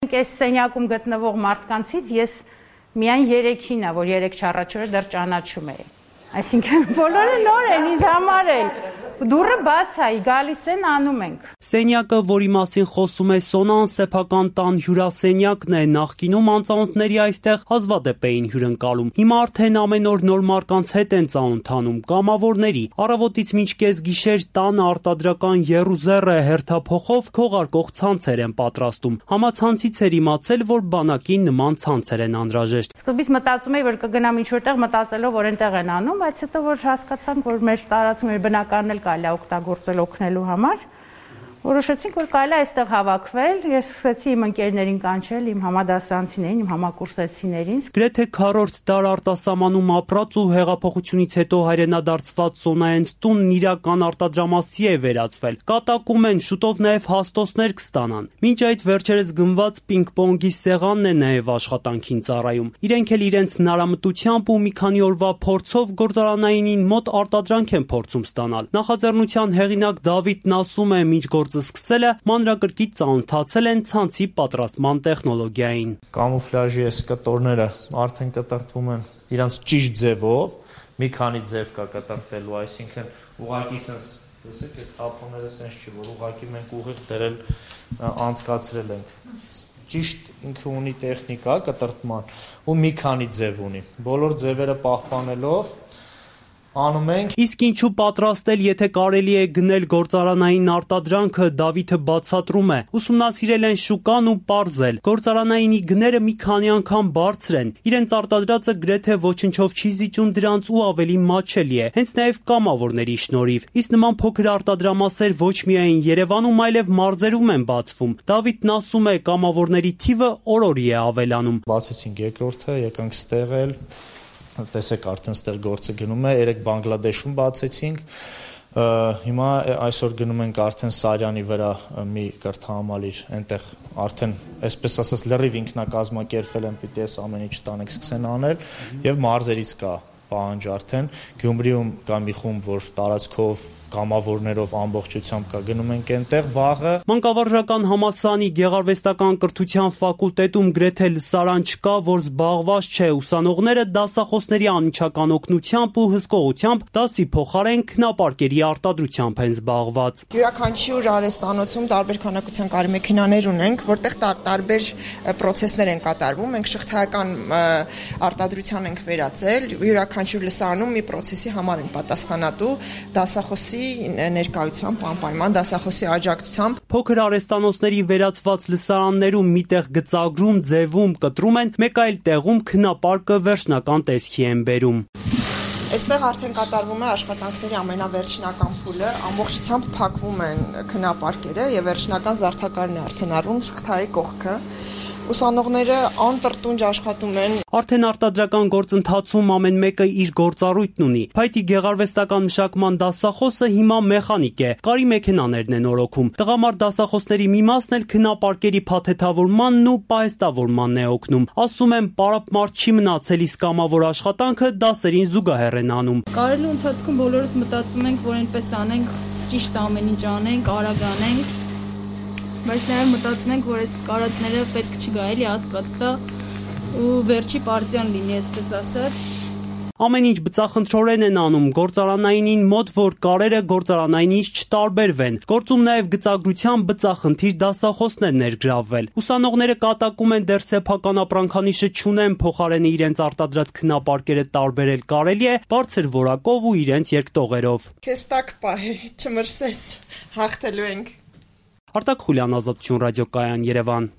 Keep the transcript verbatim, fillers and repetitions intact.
Այս սենյակում գտնվող մարդկանցից ես միայն երեքին է, որ երեք չառաջորդ դեռ ճանաչում էի։ Այսինքն բոլորը նոր են ինձ համար էլ։ Դուռը բաց է, գալիս են, անում ենք։ Սենյակը, որի մասին խոսում է Սոնան, սեփական տան հյուրասենյակն է, նախկինում անծանոթների այստեղ հազվադեպ էին հյուրընկալում։ Հիմա արդեն ամեն օր նոր մարդկանց հետ են ծանոթանում, կամավորների։ Առավոտից մինչ կեսգիշեր տանը արտադրական եռուզեռը հերթափոխով քողարկող ցանցեր են պատրաստում։ Համացանցից էր իմացել, որ բանակին նման ցանցեր են անհրաժեշտ։ Սկզբից մտածում էի, որ կգնամ ինչ-որտեղ, մտածելով, որ այնտեղ են անում, բայց հետո որ հասկացանք, որ մեր տարածքում մեր բնակարան էլ կարելի է օգտագործել օգնելու համար, որոշեցինք, որ կարելի է այստեղ հավաքվել, ես սկսեցի իմ ընկերներին կանչել, իմ համադասարանցիներին, իմ համակուրսեցիներին։ Գրեթե քառորդ դար արտասահմանում ապրած ու հեղափոխությունից հետո հայրենադարձված Սոնայենց տունն իրական արտադրամասի է վերածվել։ Կատակում են, շուտով նաև հաստոցներ կստանան։ Մինչ այդ վերջերս գնված պինգ-պոնգի սեղանն է նաև աշխատանքին ծառայում։ Իրենք էլ իրենց հնարամտությամբ ու մի քանի օրվա փորձով գործարանայինին մոտ արտադրանք են փորձում ստանալ։ Նախաձեռնության հեղինակ Դավիթն ասում է, մինչ սկսելը մանրակրկիտ ծանոթացել են ցանցի պատրաստման տեխնոլոգիային։ Կամուֆլաժի այս կտորները արդեն կտրտվում են իրանց ճիշտ ձևով, մի քանի ձև կա կտրտելու, այսինքն ուղղակի sense, տեսեք, այս թափոնները sense չի, որ ուղղակի մենք ուղիղ դերել անցկացրել ենք։ Ճիշտ ինքը ունի տեխնիկա կտրտման ու մի քանի ձև ունի։ Բոլոր ձևերը պահպանելով անում ենք։ Իսկ ինչու պատրաստել, եթե կարելի է գնել գործարանային արտադրանքը, Դավիթը բացատրում է։ Ուսումնասիրել են շուկան ու պարզել։ Գործարանայինի գները մի քանի անգամ բարձր են։ Իրենց արտադրածը գրեթե ոչնչով չի զիջում դրանց ու ավելի մատչելի է, հենց նաև կամավորների շնորհիվ։ Իսկ նման փոքր արտադրամասեր ոչ միայն Երևանում, այլև մարզերում են բացվում։ Դավիթն ասում է, կամավորների թիվը օր-օրի է ավելանում։ Բացեցինք երկրորդը, եկանք ստեղ էլ տեսեք արդեն ստեղ գործը գնում է, երեք Բանգլադեշում բացեցինք, հիմա այսօր գնում ենք արդեն Սարյանի վրա մի կրթահամալիր, այնտեղ արդեն, այսպես ասած, լրիվ ինքնակազմակերպվել են, պիտի այս ամեն ինչ տանենք սկսեն անել, եւ մարզերից կա պահանջ արդեն, Գյումրիում կա մի խումբ, որ տարածքով կամավորներով ամբողջությամբ կա գնում ենք այնտեղ վաղը։ Մանկավարժական համալսարանի գեղարվեստական կրթության ֆակուլտետում գրեթե լսարան չկա, որ զբաղված չէ, ուսանողները դասախոսների անմիջական օգնությամբ ու հսկողությամբ դասի փոխարեն քնապարկերի արտադրությամբ են զբաղված։ Յուրաքանչյուր արհեստանոցում տարբեր քանակության կարի մեքենաներ ունենք, որտեղ տարբեր պրոցեսներ են կատարվում, մենք շղթայական արտադրության ենք վերածել, յուրաքանչյուր լսարանում մի պրոցեսի համար են պատասխանատու, դասախոսի ներկայությամբ, անպայման դասախոսի աջակցությամբ։ Փոքր արհեստանոցների վերածված լսարաններում միտեղ գծագրում, ձևում, կտրում են, մեկ այլ տեղում քնապարկը վերջնական տեսքի են բերում։ Այստեղ արդեն կատարվում է աշխատանքների ամենավերջնական փուլը, ամբողջությամբ փակվում են քնապարկերը եւ վերջնական զարդակարն է արդեն արվում շղթայի կողքը։ Ուսանողները անտրտունջ աշխատում են։ Արդեն արտադրական գործընթացում ամեն մեկը իր գործառույթն ունի։ Փայտի գեղարվեստական մշակման դասախոսը հիմա մեխանիկ է, կարի մեքենաներն են օրոքում։ Տղամարդ դասախոսների մի մասն էլ քնապարկերի փաթեթավորմանն ու պահեստավորմանն է օգնում։ Ասում են, պարապ չի մնացել, իսկ կամավոր աշխատանքը դասերին զուգահեռ են անում։ Կարելու ընթացքում բոլորս մտածում ենք, որ այնպես անենք, ճիշտ ամեն ինչ անենք, արագ անենք։ Բայց նաև մտածում ենք, որ այս կարածները պետք չի գա էլի Աստված տա ու վերջի պարտիան լինի, այսպես ասած։ Ամեն ինչ բծախնդրորեն են անում, գործարանայինին մոտ, որ կարերը գործարանայինից չտարբերվեն։ Գործում նաև գծագրության բծախնդիր դասախոսներ ներգրավվել։ Ուսանողները կատակում են դեռ սեփական ապրանքանիշը չունեն, փոխարենը իրենց արտադրած քնապարկերը տարբերել կարելի է բարձր որակով ու իրենց երկտողերով։ Քեզ տակ պահի, չմրսես, հաղթելու ենք։ Արտակ Խուլյան, Ազատություն ռադիոկայան, Երևան։